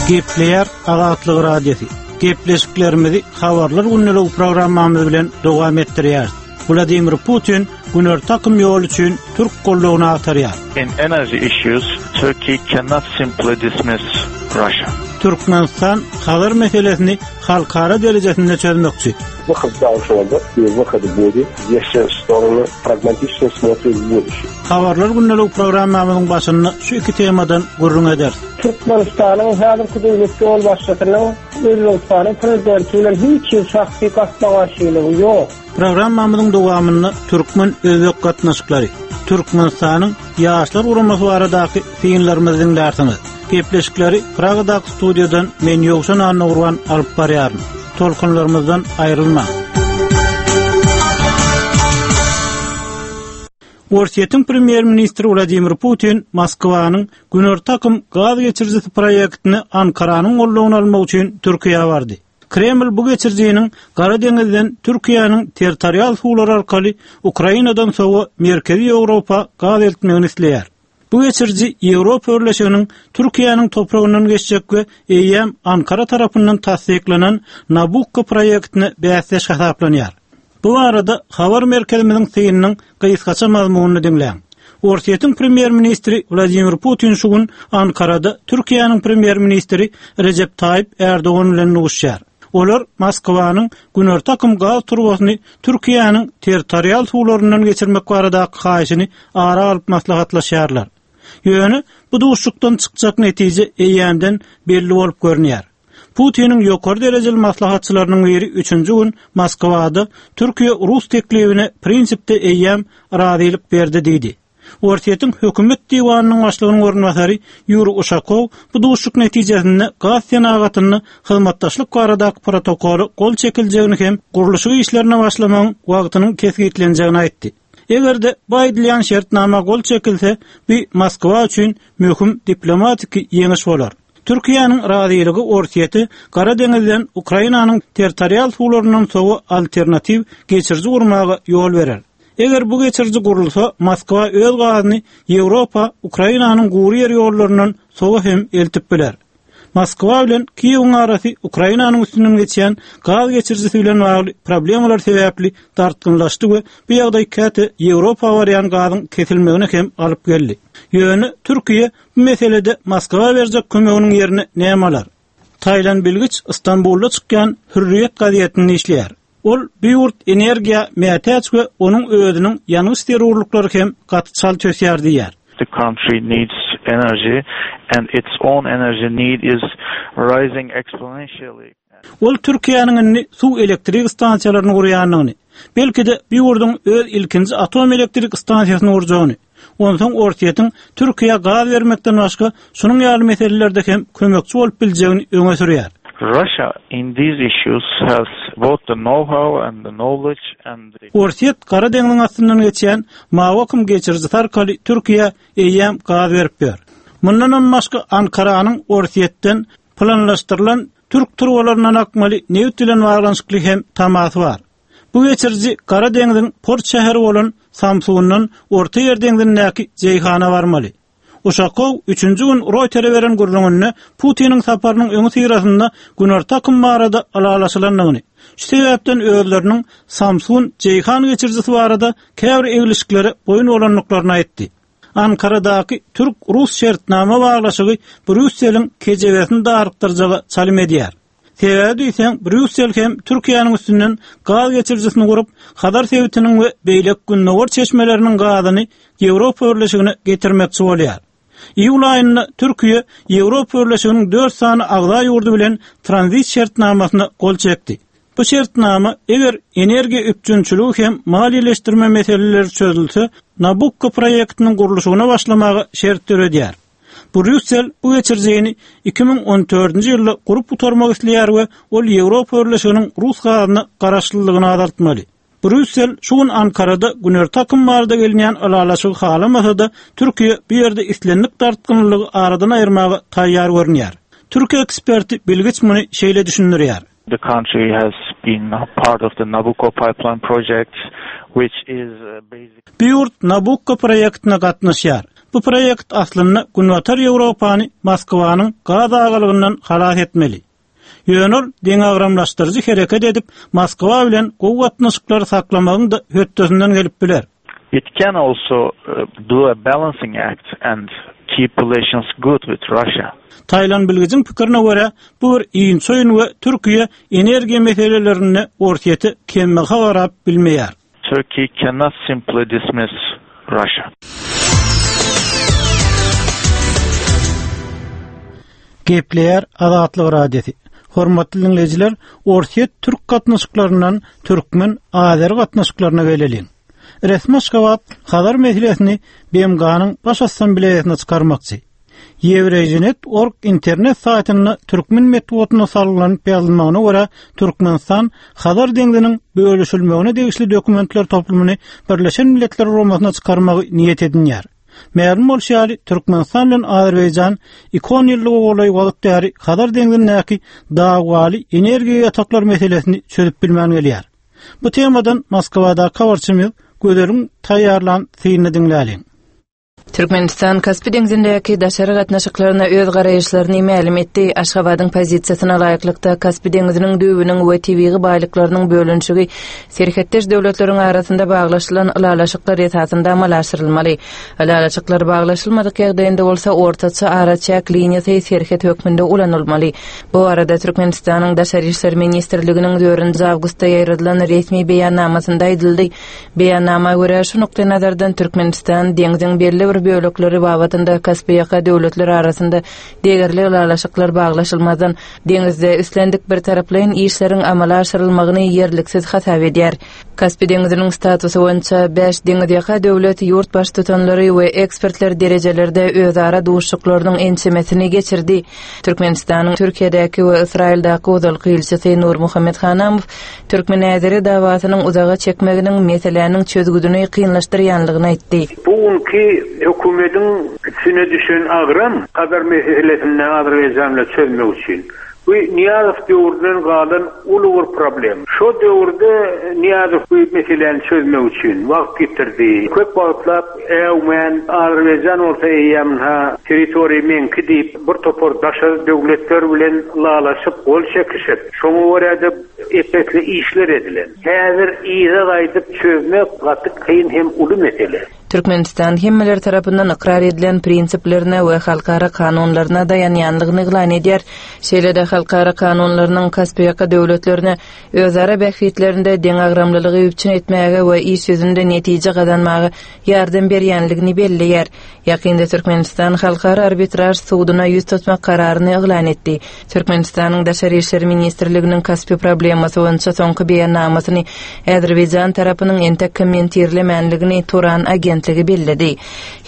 Gepleýär Azatlyk Radiosy. Gepleşiklerimizi Habarlar gündeligi programmamyz bilen dowam etdirýäris. Wladimir Putin Günorta akym ýoly üçin türk goldawyny agtarýar. In energy issues, Turkey cannot simply dismiss Russia. Türkmenistan Hazar meselesini halkara derejesinde çözmekçi. Выход должен быть, и выход будет, если стороны pragmatično смотрят в будущее. Habarlar gündeligi programmamyzyň başynda şu iki temadan gürrüň ederis. Türkmenistanyň häzirki döwlet ýolbaşçysynyň Özbegistanyň prezidenti bilen hiç hili şahsy gapma-garşylygy ýok. Programmamyzyň dowamynda türkmen-özbek gatnaşyklary, Türkmenistanyň Ýaşlar guramasy baradaky synlarymyzy diňlärsiňiz. Gepleşikleri Pragadaky studiýadan men Ýowşan Annagurban alyp barýaryn. Tolkunlarymyzdan aýrylmaň. Orsýetiň premýer-ministri Wladimir Putin Moskwanyň Günorta akym gaz geçirijisi proýektini Ankaranyň goldawyny almak üçin Türkiýä bardy. Kreml bu geçirijiniň Gara deňizden Türkiýäniň territorial suwlary arkaly Ukrainadan sowa Merkezi Ýewropa gaz eltmegini isleýär. Bu geçiriji Ýewropa Birleşiginiň Türkiýäniň topragyndan geçjek we eýýäm Ankara tarapyndan tassyklanan Nabukko proýektine bäsdeş hasaplanýar. Bu barada habar merkezimiziň synynyň gysgaça mazmunyny diňläň. Orsýetiň premýer-ministri Wladimir Putin şu gün Ankarada Türkiýäniň premýer-ministri Rejep Taýyp Ärdogan bilen duşuşýar. Olar Moskwanyň Günorta akym gaz turbasyny Türkiýäniň territorial suwlaryndan geçirmek baradaky haýyşyny ara alyp maslahatlaşýarlar. Ýöne bu duşuşykdan çykjak netije eýýämden belli bolup görünýär. Putiniň ýokary derejeli maslahatçylarynyň biri üçünji gün Moskwada Türkiýe rus teklibine prinsipde eýýäm razylyk berdi diýdi. Orsýetiň hökümet diwanynyň başlygynyň orunbasary Ýuriý Uşakow bu duşuşyk netijesinde gaz senagatynda hyzmatdaşlyk baradaky protokola gol çekiljegini hem gurluşyk işlerine başlamagyň wagtynyň kesgitlenjegini aýtdy. Eger-de bu aýdylýan şertnama gol çekilse, bu Moskwa üçin möhüm diplomatiki ýeňiş bolar. Türkiýäniň razylygy Orsýete Gara deňizden Ukrainanyň territorial suwlaryndan sowa alternatiw geçiriji gurmaga ýol berer. Eger bu geçiriji gurulsa, Moskwa öz gazyny Ýewropa Ukrainanyň gury ýer ýollaryndan sowa hem eltip biler. Moskwa bilen Kiýewiň arasy Ukrainanyň üstünden geçýän gaz geçirijisi bilen bagly problemalar sebäpli dartgynlaşdy we bu ýagdaý käte Ýewropa barýan gazyň kesilmegine hem alyp geldi. Ýöne Türkiýe Bu meselede Moskwa berjek kömeginiň ýerine näme alar? Taýlan Bilgiç Stambulda çykýan Hürriýet gazetinde işleýär. Ol bu ýurt energiýa mätäç we onuň özüniň ýangyç zerurlyklary hem gaty çalt ösýär diýýär. The country needs energy and its own energy need is rising exponentially. Ol Türkiýäniň indi suw elektrik stansiýalaryny gurýandygyny, belki-de bu ýurduň öz ilkinji atom elektrik stansiýasyny gurjagyny, onsoň Orsýetiň Türkiýä gaz bermekden başga şunuň ýaly meselelerde hem kömekçi bolup biljegini öňe sürýär. Russia in these issues has both the know-how and the knowledge and the. Orsýet Gara deňziň astyndan geçýän Mawy akym geçirijisi arkaly Türkiýä eýýäm gaz berip ýör. Mundanam başga Ankaranyň Orsýetden Planlaşdyrylan türk turbalaryndan akmaly nebit bilen baglanyşykly hem tamasy bar. Bu geçiriji Gara deňziň port şäheri bolan Samsundan Orta Ýer deňzindäki Jeýhana barmaly. Uşakow üçünji gün Roýtere beren gürrüňinde Putiniň saparynyň öňüsyrasynda Günorta akym barada ylalaşylandygyny, şu sebäpden özleriniň Samsun, Jeýhan geçirijisi barada käbir eglişiklere boýun bolandyklaryny aýtdy. Ankaradaky türk-rus şertnama baglaşygy Brýusseliň kejebesini darykdyrjaga çalym edýär. Sebäbi diýseň, Brýussel hem Türkiýäniň üstünden gaz geçirijisini gurup, Hazar sebitiniň we beýleki gündogar çeşmeleriniň gazyny Ýewropa Birleşigine getirmekçi bolýar. Iýul aýynda Türkiýe Ýewropa Birleşiginiň dört sany agza ýurdy bilen tranzit şertnamasyna gol çekdi. Bu şertnama, eger energiýa üpjünçiligi hem maliýeleşdirme meseleleri çözülse, Nabukko proýektiniň gurluşygyna başlamaga şert döredýär. Brýussel bu geçirijini 2014-nji ýylda gurup gutarmak isleýär we ol Ýewropa Birleşiginiň rus gazyna garaşlylygyny azaltmaly. Brýussel şu gün Ankarada Günorta akym barada gelinýän ylalaşygy halamasa-da, Türkiýe bu ýerde islendik dartgynlylygy aradan aýyrmaga taýýar görünýär. Türk eksperti Bilgiç muny şeýle düşündirýär. The country has been part of the Nabucco pipeline project, which is basically. Bu ýurt Nabukko proýektine gatnaşýar. Bu proýekt aslynda Günbatar Ýewropany Moskwanyň gaz agalygyndan halas etmeli. Ýöne ol deňagramlaşdyryjy hereket edip, Moskwa bilen gowy gatnaşyklary saklamagyň-da hötdesinden gelip biler. It can also do a balancing act and keep relations good with Russia. Taýlan bilgijiň pikirine görä, bu bir inçe oýun we Türkiýe energiýa meselelerinde Orsýete kembaha garap bilmeýär. Turkey cannot simply dismiss Russia. Gepleýär Azatlyk Radiosy. Hormatly diňleýjiler, Orsýet-türk gatnaşyklaryndan türkmen-azeri gatnaşyklaryna geleliň. Resmi Aşgabat Hazar meselesini BMG-niň Baş Assambleýasyna çykarmakçy. Ýewreýjinet org internet saýtynda türkmen metbugatyna salgylanyp ýazylmagyna görä, Türkmenistan Hazar deňziniň bölüşilmegine degişli dokumentler toplumyny Birleşen Milletler Guramasyna çykarmagy niýet edinýär. Mälim bolşy ýaly, Türkmenistan bilen Azerbaýjan iki onýyllyga golaý wagt bäri Hazar deňzindäki dawaly energiýa ýataklary meselesini çözüp bilmän gelýär. Bu temadan Moskwadaky habarçymyz Gözeliň taýýarlan synyny diňläliň. Türkmenistan Kaspi deňzindäki daşary gatnaşyklaryna öz garaýyşlaryny mälim etdi. Aşgabadyň pozisiýasyna laýyklykda, Kaspi deňziniň düýbüniň we tebigy baýlyklarynyň bölünişigi serhetdeş döwletleriň arasynda baglaşylan ylalaşyklar esasynda amala aşyrylmaly. Ylalaşyklar baglaşylmadyk ýagdaýynda bolsa, ortaça araçäk liniýasy serhet hökmünde ulanylmaly. Bu barada Türkmenistanyň Daşary işler ministrliginiň dördünji awgustda ýaýradylan resmi beýannamasynda aýdyldy. Beýannama görä, şu nukdaýnazardan Türkmenistan deňziň belli bir bölekleri babatynda Kaspiýaka döwletler arasynda degerli ylalaşyklar baglaşylmazdan, deňizde islendik birtaraplaýyn işleriň amala aşyrylmagyny ýerliksiz hasap edýär. Kaspi deňziniň statusy boýunça bäş deňizýaka döwlet ýurt baştutanlary we ekspertler derejelerde özara duşuşyklarynyň ençemesini geçirdi. Türkmenistanyň Türkiýedäki we Ysraýyldaky ozalky ilçisi Nurmuhammet Hanamow Türkmen-äzeri dawasynyň uzaga çekmeginiň meseläniň çözgüdini kynlaşdyrýanlygyny aýtdy. Bu günki hökümediň üstüne düşen agram Hazar meselesini Azerbaýjan bilen çözmek üçin. Bu Nyýazow döwründen galan uly bir problem. Şo döwürde Nyýazow bu meseläni çözmek üçin wagt ýitirdi. Köp wagtlap äwmän, Azerbaýjan bolsa eýýäm ynha territoriýa meňki diýip bir topar daşary döwletler bilen ylalaşyp gol çekişip, şoňa görä-de ep-esli işler edilen. Häzir yza gaýdyp çözmek gaty kyn hem uly mesele. Türkmenistan hemmeler tarapyndan ykrar edilen prinsiplerine we halkara kanunlaryna daýanýanlygyny yglan edýär. Şeýle-de halkara kanunlarynyň Kaspiýaka döwletlerine özara bähbitlerinde deňagramlylygy üpjün etmäge we iş ýüzünde netije gazanmaga ýardam berýänligini belleýär. Ýakynda Türkmenistan Halkara arbitraž suduna ýüz tutmak kararyny yglan etdi. Türkmenistanyň Daşary işler ministrliginiň Kaspi problemasy boýunça soňky beýannamasyny Azerbaýjan tarapynyň entek kommentirlemänligini Turan agentligi belledi.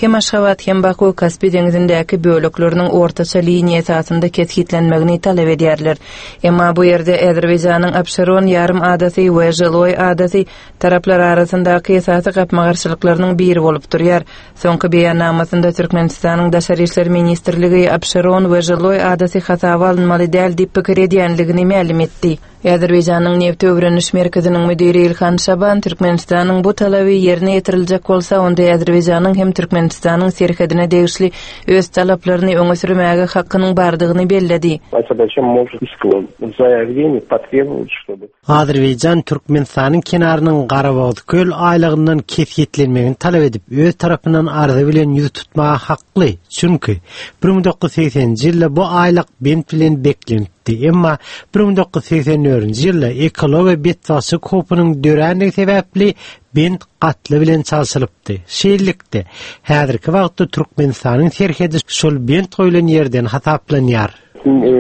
Hem Aşgabat, hem Baku Kaspi deňzindäki bölekleriniň ortaça liniýa esasynda kesgitlenmegini talap edýärler. Emma bu ýerde Azerbaýjanyň Abşeron ýarym adasy we Žiloý adasy taraplar arasyndaky esasy gapma-garşylyklarynyň biri bolup durýar. Soňky beýannamasynda Türkmenistanyň Daşary işler ministrligi Abşeron we Žiloý adasy hasaba alynmaly däl diýip pikir edýänligini mälim etdi. Azerbaýjanyň Nebti öwreniş merkeziniň müdiri Ilhan Şaban Türkmenistanyň bu talaby ýerine ýetiriljek bolsa, onda Azerbaýjanyň hem Türkmenistanyň serhedine degişli öz talaplaryny öňe sürmäge hakynyň bardygyny belledi. Azerbaýjan может заявление потребовать, чтобы Azerbaýjan Türkmenistanyň kenarynyň Garabogazköl aýlagyndan kesgitlenmegini talap edip, öz tarapyndan arza bilen ýüz tutmaga hakly, çünki 1980-nji ýylda bu aýlag bent bilen beklenipdi, emma 1984-nji ýylda ekologiýa betbagtçylyk howpunyň dörändigi sebäpli bent gatla bilen çalşylypdy. Şeýlelikde, häzirki wagtda Türkmenistanyň serhedi şol bent goýlan ýerden hasaplanýar.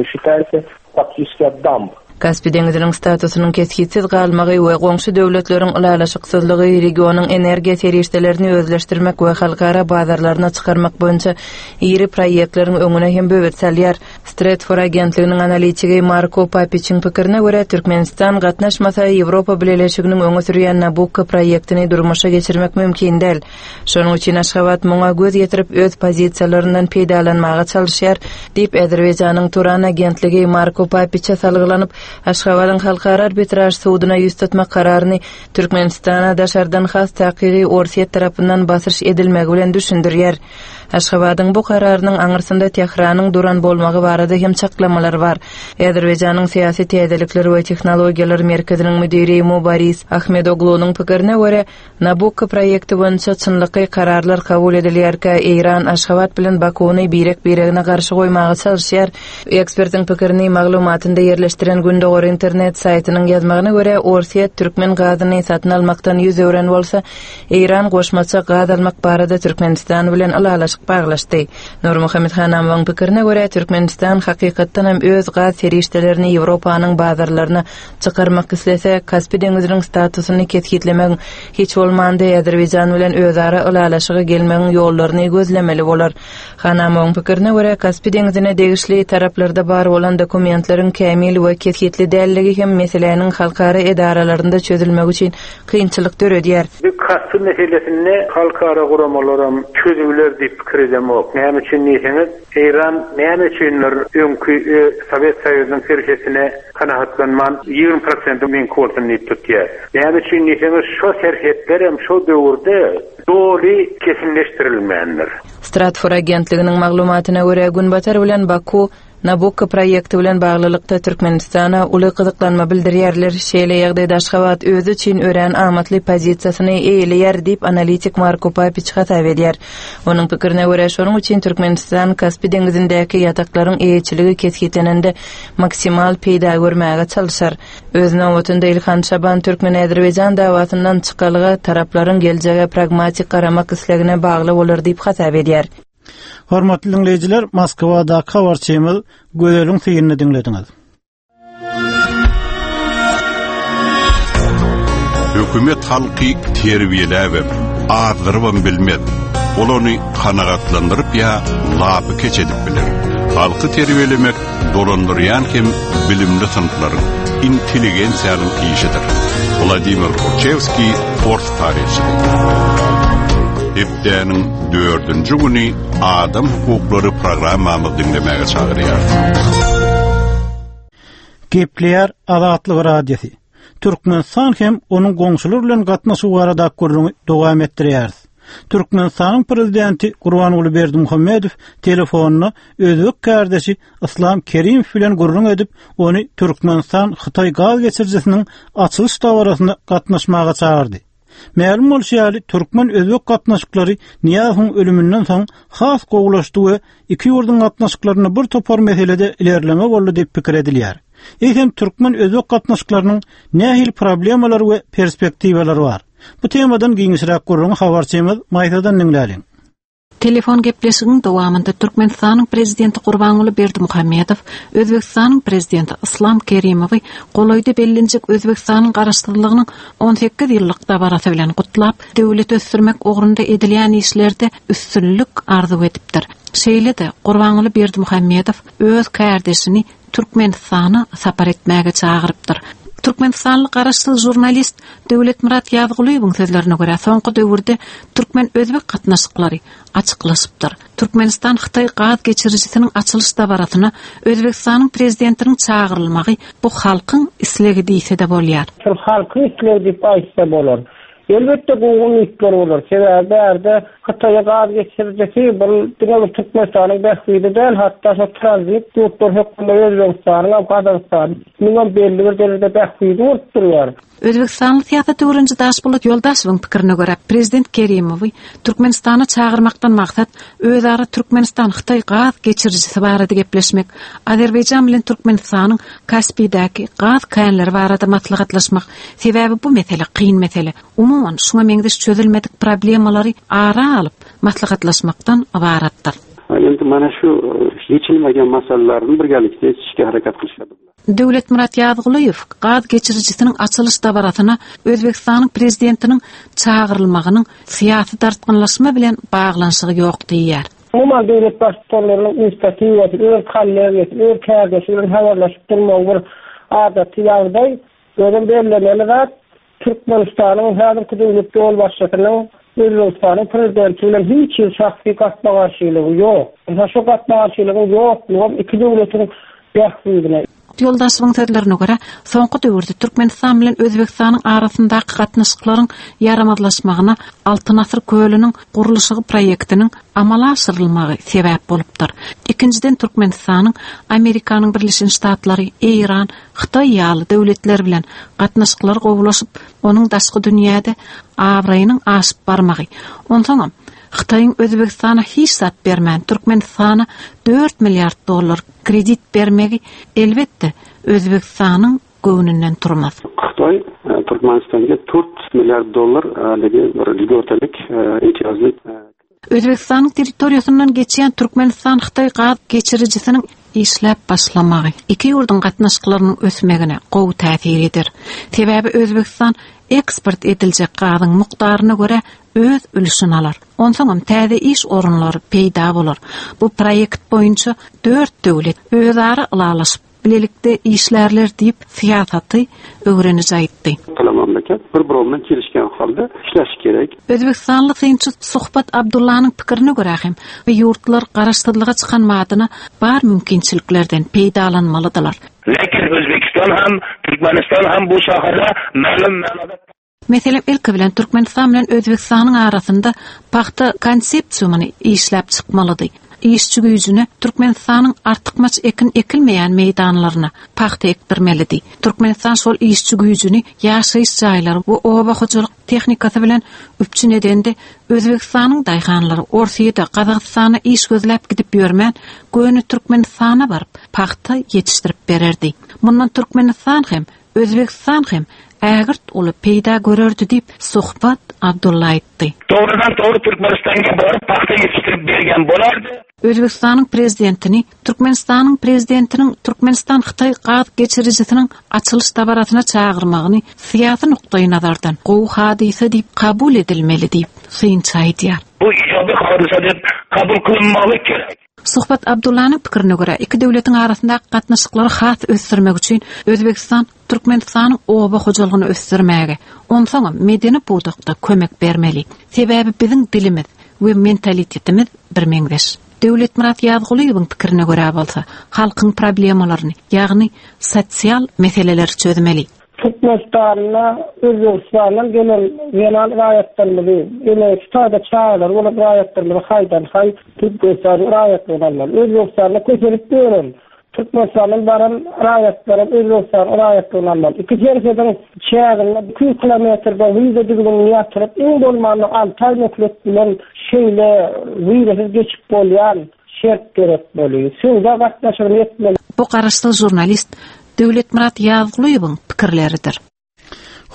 Считается faktiçeski damb. Kaspi deňziniň statusynyň kesgitsiz galmagy we goňşy döwletleriň ylalaşyksyzlygy regionyň energiýa serişdelerini özleşdirmek we halkara bazarlaryna çykarmak boýunça iri proýektleriň öňüne hem böwet salýar. Stratfor agentliginiň analitigi Marko Papiçiň pikirine görä, Türkmenistan gatnaşmasa, Ýewropa Bileleşiginiň öňe sürýän Nabukko proýektini durmuşa geçirmek mümkin däl. Şonuň üçin Aşgabat muňa göz ýetirip, öz pozisiýalaryndan peýdalanmaga çalyşýar, diýip, Azerbaýjanyň Turan agentligi Marko Papiçe salgylanyp, Aşgabadyň Halkara arbitraž suduna ýüz tutmak kararyny Türkmenistana daşardan, has takygy Orsýet tarapyndan basyş edilmegi bilen düşündirýär. Aşgabadyň bu kararynyň aňyrsynda Tähranyň duran bolmagy barada hem çaklamalar bar. Azerbaýjanyň Syýasy täzelikler we tehnologiýalar merkeziniň müdiri Mubaris Ahmedoglunyň pikirine görä, Nabukko proýekti boýunça çynlakaý kararlar kabul edilýärkä, Eýran Aşgabat bilen Bakuny birek-biregine garşy goýmaga çalyşýar. Ekspertiň pikirini maglumatynda ýerleşdiren Gündogar internet saýtynyň ýazmagyna görä, Orsýet türkmen gazyny satyn almakdan 100 öwren bolsa, Eýran goşmaça gaz almak barada Türkmenistan bilen ylalaşyk baglaşdy. Nurmuhammet Hanamowyň pikirine görä, Türkmenistan hakykatdanam öz gaz serişdelerini Ýewropanyň bazarlaryna çykarmak islese, Kaspi deňiziniň statusyny kesgitlemegiň, hiç bolmanda Azerbaýjan bilen özara ylalaşyga gelmegiň ýollaryny gözlemeli bolar. Hanamowyň pikirine görä, Kaspi deňzine degişli taraplarda bar bolan dokumentleriň kämil we kesgitli dälligi hem meseläniň halkara edaralarynda çözülmegi üçin kynçylyk döredýär. Bu Kaspi meselesinde halkara guramalaram çözüwler diýip pikir edemok. Näme üçin diýseňiz, Eýran näme üçindir öňki Sowet Soýuzynyň serhetine kanagatlanman, 20 prosenti meňki bolsun diýip tutýar. Näme üçin diýseňiz, şo serhetlerem şo döwürde doly kesinleşdirilmändir. Stratfor agentliginiň maglumatyna görä, Günbatar bilen Baku Nabukko proýekti bilen baglylykda Türkmenistana uly gyzyklanma bildirýärler. Şeýle ýagdaýda Aşgabat özi üçin örän amatly pozisiýasyny eýeleýär diýip, analitik Marko Papiç hasap edýär. Onuň pikirine görä, şonuň üçin Türkmenistan Kaspi deňzindäki ýataklaryň eýeçiligi kesgitlenende maksimal peýda görmäge çalşar. Öz nobatynda Ilhan Şaban türkmen-azerbaýjan dawasyndan çykalga taraplaryň geljege pragmatik garamak islegine bagly bolar diýip hasap edýär. Hormatly diňleýjiler, Moskwadaky habarçymyz Gözeliň synyny diňlediňiz. Hökümet halky terbiýeläbem, azdyrybam bilmez. Ol ony kanagatlandyryp ýa lapykeç edip biler. Halky terbiýelemek dolandyrýan hem bilimli synplaryň, intelligensiýanyň işidir. Wladimir Kurçewskiý, ors taryhçysy. Hepdäniň dördünji güni Adam hukuklary programmamyzy diňlemäge çagyrýarys. Gepleýär Azatlyk Radiosy. Türkmenistan hem onuň goňşulary bilen gatnaşygy baradaky gürrüňi dowam etdirýäris. Türkmenistanyň Prezidenti Gurbanguly Berdimuhamedow telefonda özbek kärdeşi Yslam Kerimow bilen gürrüň edip, ony Türkmenistan-Hytaý gaz geçirijisiniň açylyş dabarasyna gatnaşmaga çagyrdy. Mälim bolşy ýaly, türkmen-özbek gatnaşyklary Nyýazowyň ölüminden soň has gowulaşdy we iki ýurduň gatnaşyklarynda bir topar meselede ilerleme boldy diýip pikir edilýär. Eýsem, türkmen-özbek gatnaşyklarynyň nähili problemalary we perspektiwalary bar? Bu temadan giňişräk gürrüňi habarçymyz Maýsadan diňläliň. Telefon gepleşigiň dowamynda Türkmenistanyň Prezidenti Gurbanguly Berdimuhamedow Özbegistanyň Prezidenti Yslam Kerimowy golaýda bellenjek Özbegistanyň Garaşsyzlygynyň 18 ýyllyk dabarasy bilen gutlap, döwleti ösdürmek ugrunda edilýän işlerde üstünlik arzuw edipdir. Şeýle-de, Gurbanguly Berdimuhamedow öz kärdeşini Türkmenistana sapar etmäge çagyrypdyr. Türkmenistanly garaşsyz žurnalist Döwletmyrat Ýazgulyýewiň sözlerine görä, soňky döwürde türkmen-özbek gatnaşyklary açyklaşypdyr. Türkmenistan-Hytaý gaz geçirijisiniň açylyş dabarasyna Özbegistanyň prezidentiniň çagyrylmagy bu halkyň islegi diýse-de bolýar. Şol halkyň islegi diýip aýtsa bolar. Elbetde gowy umytlar bolar. Sebäbi bärde Hytaýa gaz geçirijisi bul diňe bir Türkmenistanyň bähbidi däl, hatda şo tranzit ýurtlar hökmünde Özbegistanyň hem Gazagystanyňam belli bir derejede bähbidi bolup durýar. Özbegistanly syýasat öwreniji Daşpolat Ýoldaşewiň pikirine görä, prezident Kerimowy Türkmenistana çagyrmakdan maksat özara Türkmenistan-Hytaý gaz geçirijisi barada gepleşmek, Azerbaýjan bilen Türkmenistanyň Kaspidäki gaz känleri barada maslahatlaşmak, sebäbi bu mesele kyn mesele. Umuman, şuňa meňzeş çözülmedik problemalary ara alyp maslahatlaşmakdan ybaratdyr. Endi mana shu yechilmagan masalalarni birgalikda yechishga harakat qilishadi. Döwletmyrat Ýazgulyýew gaz geçirijisiniň açylyş dabarasyna Özbegistanyň Prezidentiniň çagyrylmagynyň syýasy dartgynlaşma bilen baglanyşygy ýok diýýär. Umuman, döwlet Baştutanlarynyň inisiatiwasy, öz kollegiýasy, öz kärdeşi bilen habarlaşyp durmagy bir adaty ýagdaý. Özem bellemeli zat, Türkmenistanyň häzirki döwlet ýolbaşçysynyň Özbegistanyň prezidenti bilen hiç hili şahsy gapma-garşylygy ýok. Ynha şu gapma-garşylygyň ýoklugam iki döwletiň bähbidine. Ýoldaşowyň sözlerine görä, soňky döwürde Türkmenistan bilen Özbegistanyň arasyndaky gatnaşyklaryň ýaramazlaşmagyna Altyn asyr kölüniň gurluşygy proýektiniň amala aşyrylmagy sebäp bolupdyr. Ikinjiden, Türkmenistanyň Amerikanyň Birleşen Ştatlary, Eýran, Hytaý ýaly döwletler bilen gatnaşyklary gowulaşyp, onuň daşky dünýäde abraýynyň aşyp barmagy. Onsoňam, Hytaýyň Özbegistana hiç zat bermän, Türkmenistana dört milliard dollar kredit bermegi, elbetde, Özbegistanyň göwnünden turmaz. Hytaý Türkmenistanga dört milliard dollar haligi bir lýgotalik imtiýazly. Özbegistanyň territoriýasyndan geçýän Türkmenistan-Hytaý gaz geçirijisiniň işläp başlamagy iki ýurduň gatnaşyklarynyň ösmegine gowy täsir eder. Sebäbi Özbegistan eksport ediljek gazyň mukdaryna görä öz ülşüni alar. Onsoňam täze iş orunlary peýda bolar. Bu proýekt boýunça dört döwlet özara ylalaşyp, bilelikde işlärler diýip, syýasaty öwreniji aýtdy. Ikkala mamlakat bir-biri bilen kelişgen halda işleşi gerek. Özbegistanly synçy Suhbat Abdullanyň pikirine görä hem, bu ýurtlar garaşsyzlyga çykan badyna bar mümkinçiliklerden peýdalanmalydylar. Lekin Özbegistan hem, Türkmenistan hem bu sahada mälim manada. Meselem, ilki bilen Türkmenistan bilen Özbegistanyň arasynda pagta konsepsiumyny işläp çykmalydy. Işçi güýjüne Türkmenistanyň artykmaç ekin ekilmeýän meýdanlaryna pagta ekdirmelidi. Türkmenistan şol işçi güýjüni ýaşaýyş jaýlary we oba hojalyk tehnikasy bilen üpjün edende, Özbegistanyň daýhanlary Orsýede, Gazagystana iş gözläp gidip ýörmän, göni Türkmenistana baryp, pagta ýetişdirip bererdi. Mundan Türkmenistan hem, Özbegistan hem ägirt uly peýda görerdi diýip, Suhbat Abdulla aýtdy. Dogrudan dogry Türkmenistanga baryp pagta ýetişdirip bergen bolardy. Özbegistanyň Prezidentini Türkmenistanyň Prezidentiniň Türkmenistan-Hytaý gaz geçirijisiniň açylyş dabarasyna çagyrmagyny syýasy nukdaýnazardan gowy hadysa diýip kabul edilmeli diýip, synçy aýdýar. Bu ijaby hadysa diýip kabul kylynmaly gerek. Suhbat Abdullanyň pikirine görä, iki döwletiň arasyndaky gatnaşyklary has ösdürmek üçin Özbegistan Türkmenistanyň oba hojalygyny ösdürmäge, onsoňam medeni pudakda kömek bermeli. Sebäbi biziň dilimiz we mentalitetimiz birmeňzeş. Döwletmyrat Ýazgulyýewiň pikirine görä bolsa, halkyň problemalaryny, ýagny sosial meseleleri çözmeli. Türkmenistanda Özbegistandan gelen zenan raýatlarymyzy, ene şu taýda çagalary bolan raýatlarymyzy haýdan-haý Türkmenistanyň raýatlygyny almaly. Özbegistanda kösenip ýören, Türkmenistandan baran raýatlaram Özbegistanyň raýatlygyny almaly. Iki serhediň çäginde 200 kilometrde wiza düzgünini ýatyryp, iň bolmanda alty aý möhlet bilen şeýle wizasyz geçip bolýan şert döretmeli. Söwda gatnaşygyny etmeli. Bu garaşsyz žurnalist Döwletmyrat Ýazgulyýewiň pikirleridir.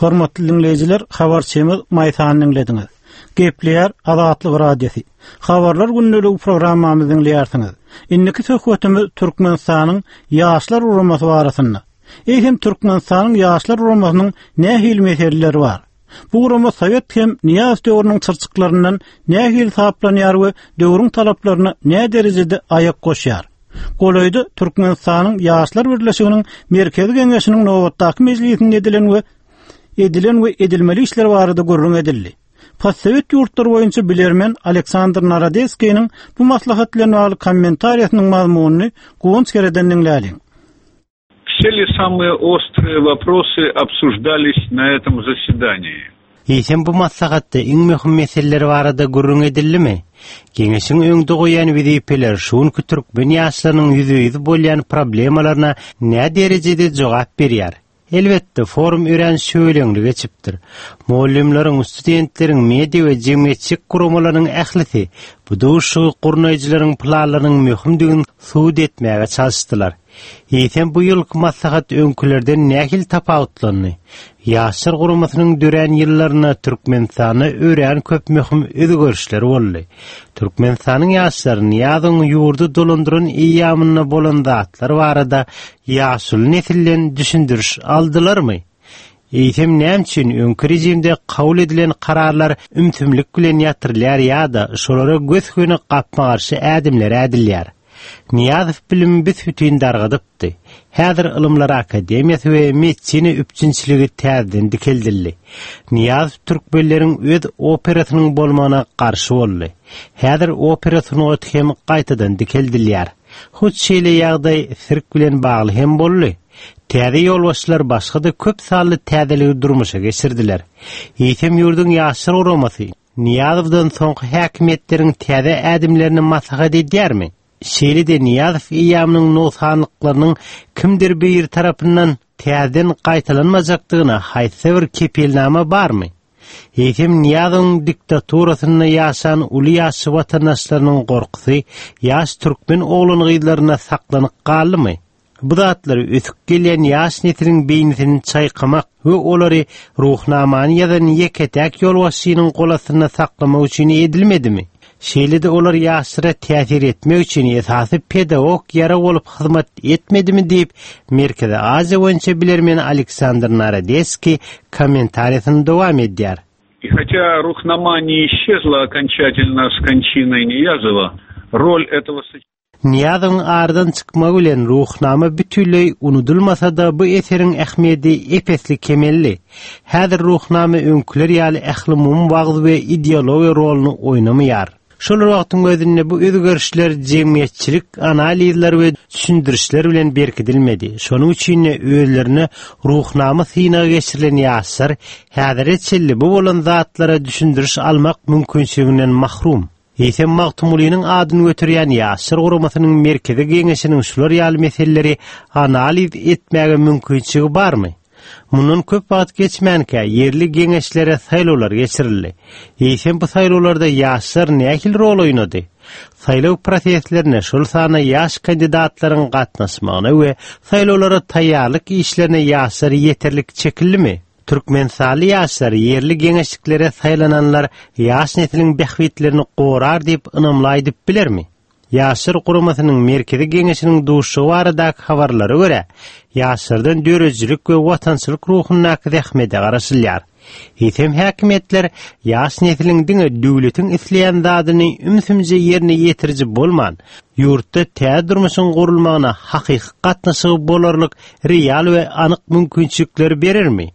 Hormatly diňleýjiler, habarçymyz Maýsany diňlediňiz. Gepleýär Azatlyk Radiosy. Habarlar gündeligi programmamyzy diňleýärsiňiz. Indiki söhbetimiz Türkmenistanyň Ýaşlar guramasy barasynda. Eýsem Türkmenistanyň Ýaşlar guramasynyň nähili meseleleri bar? Bu gurama sowet hem Nyýazow döwrüniň çyrçyklaryndan nähili saplanýar we döwrüň talaplaryna näderejede aýak goşýar? Golaýda Türkmenistanyň Ýaşlar birleşiginiň Merkezi Geňeşiniň nobatdaky mejlisinde edilen we edilen we edilmeli işler barada gürrüň edildi. Postsowet ýurtlary boýunça bilermen Aleksandr Narodeskiniň bu maslahat bilen bagly kommentariýasynyň mazmunyny Guwanç Kereden diňläliň. Все ли самые острые вопросы обсуждались на этом заседании? Eýsem bu maslahatda iň möhüm meseleler barada gürrüň edildimi? Geňeşiň öňde goýýan wezipeleri şu günki türkmen ýaşlarynyň ýüzbe-ýüz bolýan problemalaryna näderejede jogap berýär? Elbetde, forum örän şüweleňli geçipdir. Mugallymlaryň, studentleriň, media we jemgyýetçilik guramalarynyň ählisi bu duşuşygy gurnaýjylaryň planlarynyň möhümdigini subut etmäge çalyşdylar. Eýsem, bu ýylky maslahat öňkülerden nähili tapawutlandy? Ýaşlar guramasynyň dörän ýyllarynda Türkmenistanda örän köp möhüm özgerişler boldy. Türkmenistanyň ýaşlary Nyýazowyň ýurdy dolandyran eýýamynda bolan zatlar barada ýaşuly nesilden düşündiriş aldylarmy? Eýsem näme üçin öňki režimde kabul edilen kararlar ümsümlik bilen ýatyrylýar ýa-da şolara gös-göni gapma-garşy ädimler ädilýär? Nyýazow bilimi büs-bütin dargadypdy. Häzir Ylymlar akademiýasy we medisina üpjünçiligi täzeden dikeldildi. Nyýazow türkmenleriň öz operasynyň bolmagyna garşy boldy. Häzir opera sungaty hem gaýtadan dikeldilýär. Hut şeýle ýagdaý sirk bilen bagly hem boldy. Täze ýolbaşçylar başga-da köp sanly täzeligi durmuşa geçirdiler. Eýsem ýurduň Ýaşlar guramasy Nyýazowdan soňky häkimiýetleriň täze ädimlerini maslahat edýärmi? Şeýle-de Nyýazow eýýamynyň nogsanlyklarynyň kimdir biri tarapyndan täzeden gaýtalanmajakdygyna haýsyda bir kepilnama barmy? Eýsem Nyýazowyň diktaturasynda ýaşan uly ýaşly watandaşlarynyň gorkusy ýaş türkmen oglan-gyzlarynda saklanyp galdymy? Bu zatlar ösüp gelýän ýaş nesliň beýnisini çaýkamak we olary Ruhnamany ýazan ýeke-täk ýolbaşçynyň golastynda saklamak üçin edilmedimi? Şeýle-de olar ýaşlara täsir etmek üçin esasy pedagog ýarag bolup hyzmat etmedimi diýip, Merkezi Aziýa boýunça bilermen Aleksandr Narodeskiý kommentariýasyny dowam edýär. И хотя Ruhnama не исчезла окончательно с кончиной Ниязова, роль этого Nyýazowyň aradan çykmagy bilen Ruhnama bütinleý unudylmasa-da, bu eseriň ähmiýedi ep-esli kemeldi. Häzir Ruhnama öňküler ýaly ählumumy wagyz we ideologiýa roluny oýnamaýar. Şol bir wagtyň özünde bu özgerişler jemgyýetçilik analizler we düşündirişler bilen berkidilmedi. Şonuň üçin-de özlerine Ruhnama synagy geçirilen ýaşlar häzire çenli bu bolan zatlara düşündiriş almak mümkinçiliginden mahrum. Eýsem Magtymgulynyň adyny göterýän Ýaşlar guramasynyň Merkezi Geňeşiniň şular ýaly meseleleri analiz etmäge mümkinçiligi barmy? Mundan köp wagt geçmänkä ýerli geňeşlere saýlawlar geçirildi. Eýsem bu saýlawlarda ýaşlar nähili rol oýnady? Saýlaw proseslerine, şol sanda ýaş kandidatlaryň gatnaşmagyna we saýlawlara taýýarlyk işlerine ýaşlar ýeterlik çekildimi? Türkmenistanly ýaşlar ýerli geňeşliklere saýlananlar ýaş nesliň bähbitlerini gorar diýip ynamly aýdyp bilermi? Ýaşlar guramasynyň Merkezi Geňeşiniň duşuşygy baradaky habarlara görä, ýaşlardan döredijilik we watançylyk ruhundaky zähmete garaşylýar. Eýsem häkimiýetler ýaş nesliň diňe döwletiň isleýän zadyny ümsümje ýerine ýetiriji bolman, ýurtda täze durmuşyň gurulmagyna hakyky gatnaşygy bolarlyk real we anyk mümkinçilikleri berermi?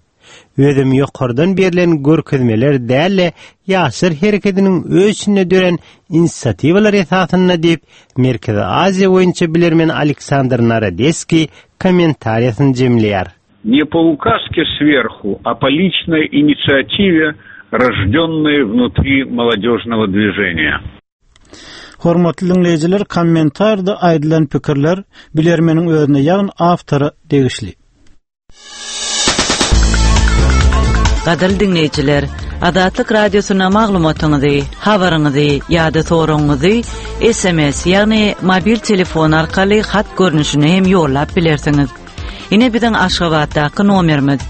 Özem ýokardan berlen görkezmeler däl-de, ýaşlar herekediniň öz içinde dörän inisiatiwalar esasynda diýip, Merkezi Aziýa boýunça bilermen Aleksandr Narodeskiý kommentariýasyny jemleýär. Не по указке сверху, а по личной инициативе, рожденной внутри молодежного движения. Hormatly diňleýjiler, kommentarda aýdylan pikirler bilermeniň özüne, ýagny awtora degişli. Gadyrly diňleýjiler, Azatlyk Radiosyna maglumatyňyzy, habaryňyzy ýa-da soragyňyzy SMS, ýagny mobil telefon arkaly hat görnüşinde hem ýollap bilersiňiz. Ine biziň Aşgabatdaky nomerimiz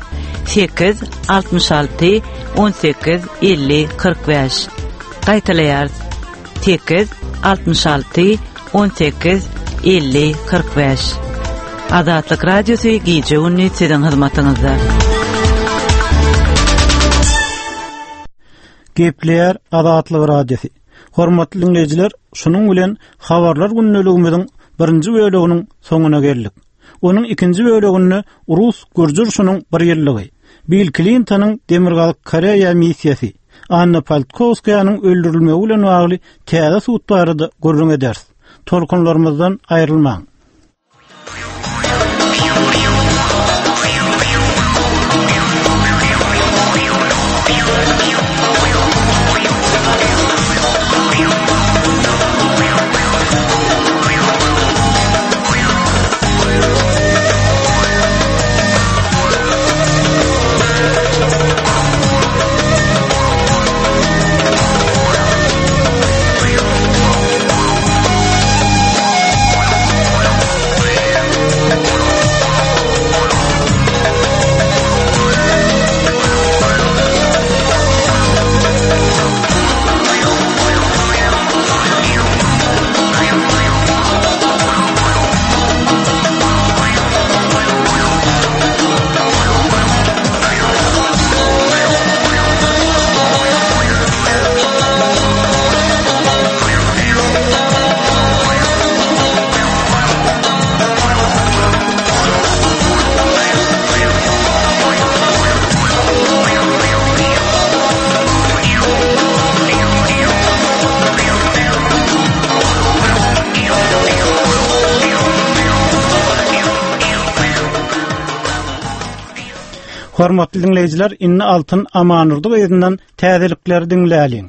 8 66 18 50 45. Gaýtalaýarys. 8 66 18 50 45. Azatlyk Radiosy gije-gündiz siziň hyzmatyňyzda. Gepleýär Azatlyk Radiosy. Hormatly diňleýjiler, şunuň bilen habarlar gündeligimiziň birinji böleginiň soňuna geldik. Onuň ikinji böleginde rus-gürji urşunyň bir ýyllygy, Bill Klintonyň Demirgazyk Koreýa missiýasy, Anna Politkowskaýanyň öldürilmegi bilen bagly täze sud barada gürrüň ederis. Tolkunlarymyzdan aýrylmaň. Hormatly diňleýjiler, indi Altyn Amandurdy gyzyndan täzelikleri diňläliň.